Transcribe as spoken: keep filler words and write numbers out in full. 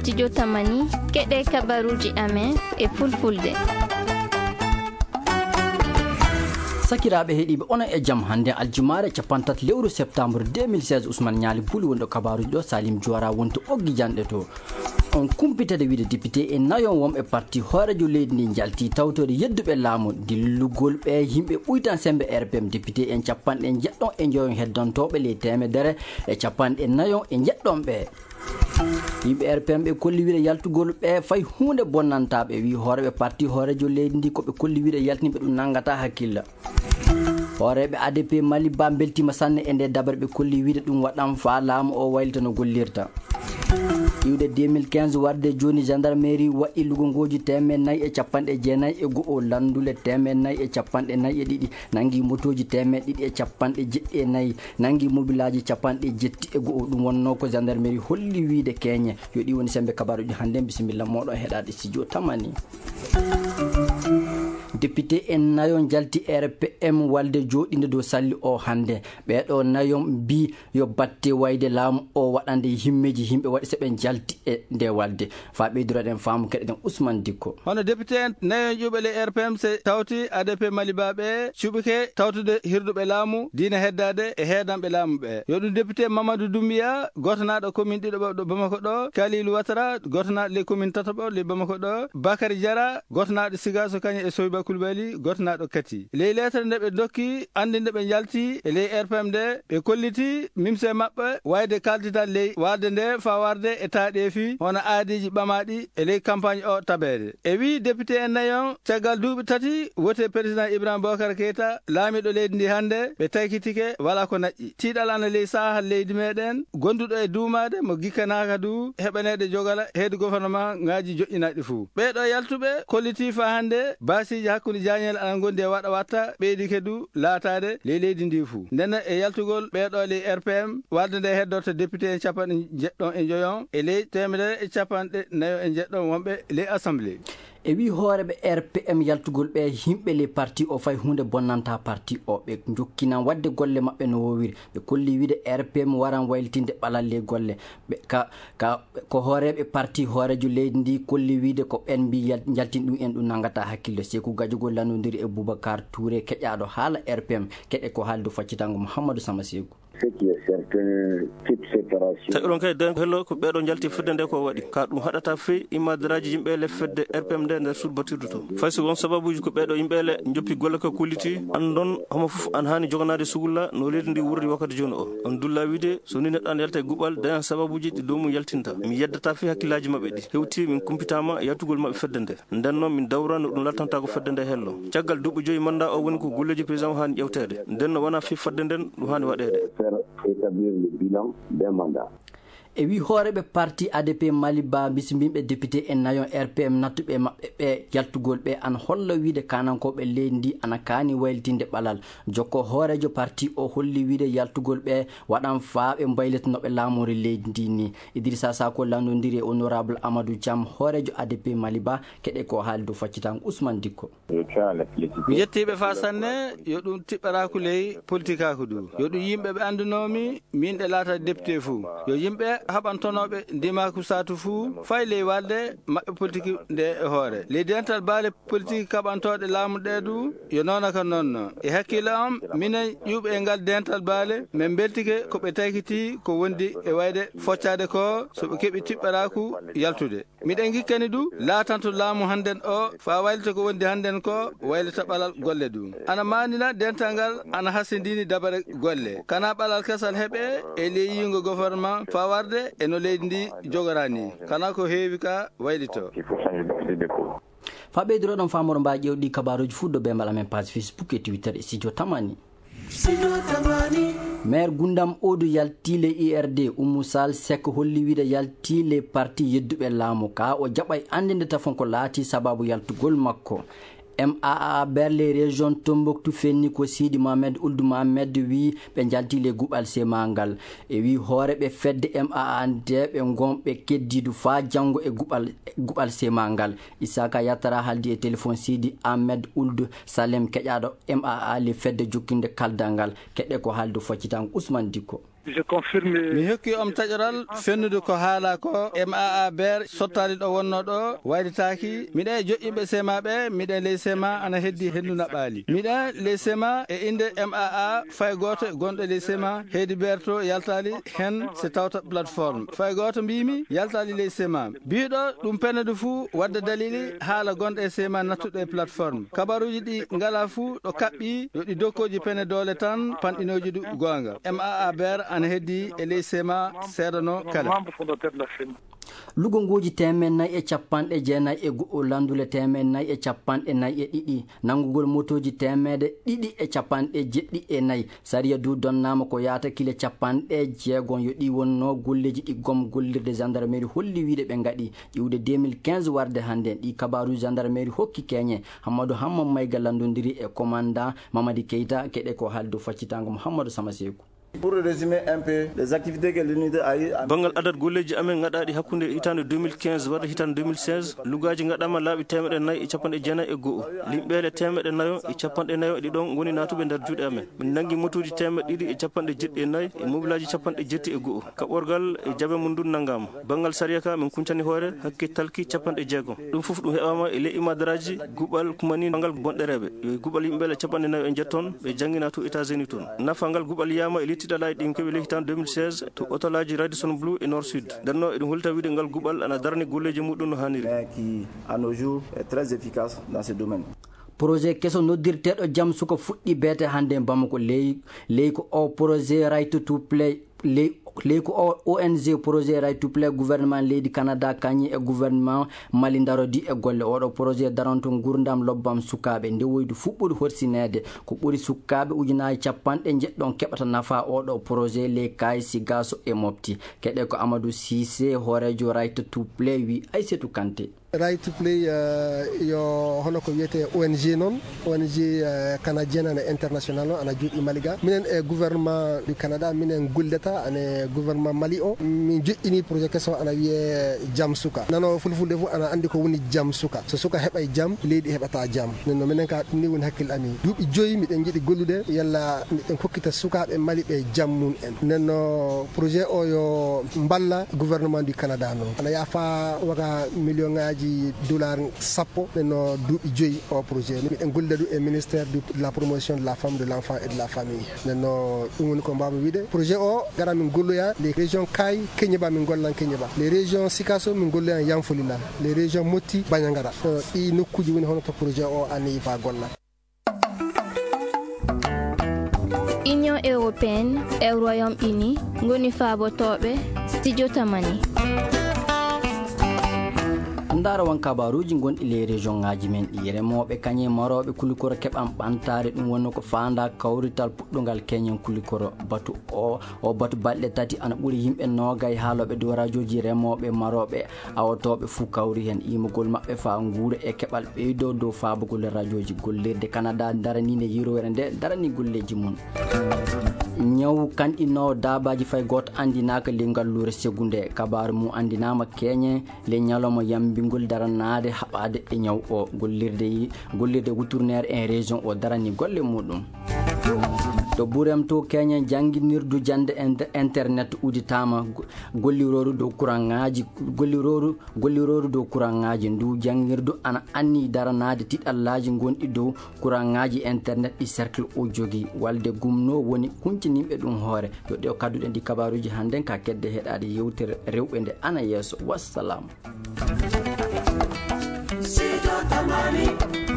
Studio Tamani, keɗe kabaruji amen e fulfulde. Sakiraaɓe heɗiiɓe, onon e jam. Hannde aljumaare cappantato lewru septembre deux mille seize, Ousmane Ñaali Buli wonɗo kabaruji ɗo, Salim Juwara wonto oggi janɗe to. On kumpitade wiide député en nayon wonɓe parti hoorejo leydi ndi njalti tawtore yedduɓe laamu dillugol ɓe yimɓe ɓuytan sembe R P M. Député en capanɗe jeɗɗon e njoyon heddantooɓe ley teemedere e capanɗe nayon e jeɗɗon ɓe. Yimɓe R P M ɓe kolli wiide yaltugol ɓe fay huunde bonnantaa ɓe. Wi hooreɓe parti hoorejo leydi ndi ko ɓe kolli wiide yaltini ɓe ɗum nangata hakkilla. Hooreeɓe A D P Mali Ba mbeltiima sanne e nde dabare ɓe kolli wiide ɗum waɗan faa laamu o waylita no gollirta. Iwde deux mille quinze warde jooni, gendarmerie waɗi lugongooji teemeɗɗe nayi e capanɗe jeenayi e go'o, lanndule teemeɗɗe nayi e capanɗe nayi e ɗiɗi, nanngi motooji teemeɗɗe ɗiɗi e capanɗe jeɗɗi e nayi, nanngi mobilaaji capanɗe jetti e go'o. Ɗum wonnoo ko gendarmerie holli wiide keeñe yo ɗi woni sembe kabaruji hannde. Bisimilla mooɗon heɗaade studio Tamani. Député en nayo njalti R P M walde jooɗinde dow salli o hannde. Ɓeeɗo nayo mbi yo batte wayde laamu o waɗande himmeeji yimɓe waɗi so ɓe njalti e nde walde. Faa ɓeyduroɗen faamu, keɗoɗen Ousmane Dikko. Hono député en nayo ƴuɓe le R P M se tawti A D P Mali Ba ɓe cuɓike tawtude hirduɓe laamu diina heddaade e heedanɓe laamu ɓe. Yo ɗum député Mamadou Doumbia, gotanaaɗo commune ɗiɗo ɓe ɗo Bamako ɗo, Khalilou Ouattara, gotanaaɗo les commune tataɓo les Bamako ɗo, Bakary Diarra, gotanaaɗo Sigaso Kanye e Soyba Coulibaly, gotanaaɗo Kati. Ley leetere nde ɓe dokki anndinde ɓe njalti e ley R P M nde, ɓe kolliti mimse maɓɓe wayde kaldital ley walde nde faa warde e taaɗeefi hono aadiiji ɓamaaɗi e ley campagne o tabeede. E wii député en nayon, caggal duuɓi tati wote président Ibrahima Boubacar Keita, laamiiɗo leydi ndi hannde, ɓe taykitike, walaa ko naƴƴi. Tiiɗal ana ley saahal leydi meɗen, gonduɗo e duumaade mo gikkanaaka du heɓaneede jogala heedi gouvernement ŋaaji joƴƴinaaɗi fuu. Ɓeeɗo yaltuɓe kollitii faa hannde baasiiji hakkunde jaañeele ana ngondi e waɗa watta ɓeydike du laataade ley leydi ndi fuu. Ndenne e yaltugol ɓeeɗo ley R P M, walde nde heddorta député en capanɗe jeɗɗon e njoyon e ley teemedere e capanɗe nayo e jeɗɗon wonɓe ley assemblée. E wii hooreeɓe R P M yaltugol ɓe yimɓe ley parti o fay huunde bonnanta parti o. Ɓe njokkinan waɗde golle maɓɓe no woowiri. Ɓe kolli wiide R P M waran waylitinde ɓalal ley golle. Ɓe ka, ka, ko hooreeɓe parti hooreejo leydi ndi kolli wiide ko ɓen mbi yal-, njaltin ɗum en ɗum nangata hakkille. Seeku Gajogol lanndondiri e Boubacar Touré keƴaaɗo haala R P M. Keɗe ko haaldu faccitango Mouhamadou Sama Seeku. Ce qui est certain, toute séparation. Tawi oɗon kadi, den hello ko ɓeeɗo njalti fedde nde ko waɗi. Ka ɗum haɗata fey immadaraaji yimɓe le fedde R P M nde nder suudu batirdu to. Fay so won sababuuji ko ɓeeɗo yimɓe le njoppi golle ko kulliti, anndon homo fof an haani joganaade sugulla no leydi ndi wurri wakkati jooni o. On dulla wiide, so ni neɗɗo an yalta e guɓal, dañan sababuuji ɗi dow mum yaltinta. Mi yeddata fey hakkillaaji maɓɓe ɗi. Hewti min kumpitaama yaltugol maɓɓe fedde nde. Nden noon, min dawra no ɗum laltanta ko fedde nde hello. Caggal duuɓi joyi manndaa o woni ko golleeji président o haani ƴewteede. Nden no wonaa fii fodde nden ɗum haani waɗeede. Faire établir le bilan des mandats. E wii hooreeɓe parti A D P Mali Ba, bisimbiiɓe député en nayon R P M nattuɓe maɓɓe ɓe yaltugol ɓe an holla wiide kaanankooɓe leydi ndi ana kaani waylitinde ɓalal. Jokko hooreejo parti o holli wiide yaltugol ɓe waɗan faa ɓe mbaylita no ɓe laamori leydi ndi ni. Idrissa Sako lanndondiri e honorable Amadou Thiam, hooreejo A D P Mali Ba, keɗe ko haaldu faccitango Ousmane Dikko. Mi yettii ɓe faa sanne, yo ɗum tiɓɓaraaku ley politikaaku du. Yo ɗum yimɓe ɓe anndunoomi, min ɗe laata député fuu. Yo yimɓe haɓantonooɓe ndimaaku saatu fuu, fay ley walde maɓɓe politiki nde e hoore. Ley dental baale politique kaɓantooɗe laamu ɗee du, yo noona ka noon no. E hakkille am, minen ƴuuɓe e ngal dental baale, min mbeltike ko ɓe taykitii ko wondi e wayde foccaade ko, so ɓe keɓi tiɓɓaraaku yaltude. Miɗen ngikkani du, laatanto laamu hannden o, faa waylita ko wondi hannden ko, waylita ɓalal golle du. Ana maanina dental ngal, ana hasindini dabare golle. Kana ɓalal kesal heɓe e ley yiingo gouvernement, faa warde e no leydi ndi jogorani. Kana ko heewi ka waylito. Faa ɓeyduroɗon faamoro mbaa ƴeewɗi kabaruuji fuɗɗo be mbala men page Facebook e Twitter e studio Tamani. Maire Gundam Odu yalti le I R D, Oumou Sall Seck holli wiide yalti le parti yedduɓe laamu ka o jaɓay anndinde tafon ko laati sababu yaltugol makko. M A A Berle région Tombouctou fenni ko Sidi Mohamed Ould Mohamed wi ɓe njalti le guɓal sema ngal. E wi hooreɓe fedde M A A nde ɓe ngon ɓe keddidu faa janngo e guɓal, guɓal sema ngal. Isaka Yattara haaldi e téléphone Sidi Ahmed Ould Salem keƴaaɗo M A A le fedde jokkinde kaldal ngal. Keɗe ko haaldu faccitango Ousmane Dikko. Mi hokki on taƴoral fennude ko haalaa ko. M A A ber sottaali ɗo wonnoo ɗo, wayritaaki. Miɗa e joƴƴinɓe sema ɓe, miɗa e ley sema ana heddi henndu naɓaali. Miɗa ley sema e innde M A A, fay gooto gonɗo ley sema heydi ber to yaltaali hen si tawta plateforme. Fay gooto mbiimi yaltaali ley sema. Biiɗo ɗum penede fuu wadda dalili haala gonɗo e sema nattuɗo e plateforme. Kabaruuji ɗi ngalaa fuu ɗo kaɓɓi yo ɗi dokkooji pene doole tan panɗinooji ɗu goonga. M A A ber ana heddi e ley sema seedano kala. Lugongooji teemeɗɗe nayi e capanɗe jeenayi e go'o, lanndule teemeɗɗe nayi e capanɗe nayi e ɗiɗi, nanngugol motooji teemeɗɗe ɗiɗi e capanɗe jeɗɗi e nayi. Sariya du donnaama ko yaata kile capanɗe jeegom. Yo ɗi wonno golleeji ɗi gom gollirde gendarmerie holli wiide ɓe ngaɗi. Ƴiwde deux mille quinze warde hannde, ɗi kabaaru gendarmerie hokki keñe. Hammadou Hamma Mayga lanndondiri e commandant Mamadi Keita. Keɗe ko haaldu faccitango Mouhamadou Sama Seeku. Pour résumer un peu les activités que l'unité a eu en... Banngal adat golleeji amen ngaɗaaɗi hakkunde hitaande deux mille quinze warde hitaande deux mille seize, lugaaji ngaɗaama laaɓi teemeɗɗe nayi e capanɗe jeenayi e go'o, limɓeele teemeɗɗe nayo e capanɗe nayo e ɗiɗon ngoni naatuɓe nder juuɗe amen. Min nanngi motooji teemeɗɗe ɗiɗi e capanɗe jeɗɗi e nayi e mobilaaji capanɗe jetti e go'o. Kaɓorgal e jaɓe mum ndun nanngaama. Banngal sariya ka min kuncani hoore hakke talki capanɗe jeegom. Ɗum fof ɗum heɓaama e ley imadaraaji guɓal kumani ngal bonɗereeɓe. Yo guɓal yimɓe le capanɗe nayo e njetton ɓe janngina to États-Unis toon. Nafa ngal guɓal yiyaama e ley tiɗalaaji ɗin keɓi ley hitaande deux mille seize to hôtelaaji Radisson Blu e Nord Sud. Nden noon eɗum holta wiide ngal guɓal ana darani golleeji muɗum no haaniri. Mais qui, à nos jours, est très efficace dans ce domaine. Projet keso noddirteeɗo Jam Suka fuɗɗi beete hannde e Bamako. Ley, ley ko o projet Right to Play, ley, ley ko o O N G projet Right to Play gouvernement leydi Canada kañum e gouvernement Mali ndarodi e golle. Oɗo projet daranto nguurndam lobbam sukaaɓe. Nde woydu fuɗɗude horsineede, ko ɓuri sukaaɓe ujunaaji capanɗe njeɗɗon keɓata nafa oɗo projet ley Kaayi, Sigaaso e Mopti. Keɗe ko Amadou Cissé, hooreejo Right to Play, wi Aysatu Kanté. Right to Play, eh, yo hono ko wiyetee O N G noon, O N G, eh, canadienne ana international o, ana juuɗi Mali ga. Minen e gouvernement du Canada, minen gollidata ane gouvernement Mali o. Min joƴƴini projet keso ana wiyee Jam Suka. Nano fulfulde fof ana anndi ko woni jam suka. So suka heɓay jam, leydi heɓata jam. Nden no minen ka ɗum ni woni hakkille amin. Duuɓi joyi miɗen njiɗi gollude, yalla miɗen kokkita sukaaɓe Mali ɓe jam mum en. Nden no projet o yo mballa gouvernement du Canada noon. Ana yaha faa waga million ŋaaji dollar sappo, nden no duuɓi joyi o projet. Miɗen gollida ɗum e ministère du, de la promotion de la femme, de l'enfant et de la famille. Nden no ɗum woni ko mbawmi wiide. Projet o gara min golloya les régions Kaayi, Keñeba min gollan Keñeba. Les régions Sikaso min golloya Yanfolila. Les régions Motti, Bandiagara. Ɗo ɗi nokkuuji woni hono to projet o ani fa golla. Union européenne e Royaume-Uni ngoni faabotooɓe Studio Tamani. Ndaara won kabaaruuji gonɗi ley région ŋaaji men ɗi. Remooɓe kañe marooɓe kulikoro keɓan ɓantaare, ɗum wonno ko faandaa kawrital puɗɗungal keñen kulikoro. Batu o, o batu balɗe tati ana ɓuri yimɓe noogay haalooɓe dow rajooji remooɓe marooɓe awotooɓe fuu kawri heen. Iimugol maɓɓe faa nguura e keɓal ɓeydoo dow faabugol rajooji. Gollirde Canada daraniinde yirwere nde darani golleeji mum. Ñaw kanɗinoowo daabaaji fay gooto anndinaaka ley ngalluure Segu nde. Kabaaru mum anndinaama keñe ley ñalawma yambingol daranaade haɓaade e ñaw o. Gollirde yi-, gollirde wuturneere en région o darani golle muɗum. To Burem to keñe jannginirdu jannde en-, internet uditaama. Go-, gollirooru dow kuraŋaaji, gollirooru, gollirooru dow kuraŋaaji. Ndu janngirdu ana anni daranaade tiɗallaaji gonɗi dow kuraŋaaji internet ɗi cercle o jogii. Walde gumno woni kuñtinimɓe ɗum hoore. Yo ɗe o kadduɗen ɗi kabaaruuji hannden ka kedde heɗaade yewtere rewɓe nde ana yeeso. Wassalam. Sijo Tamani.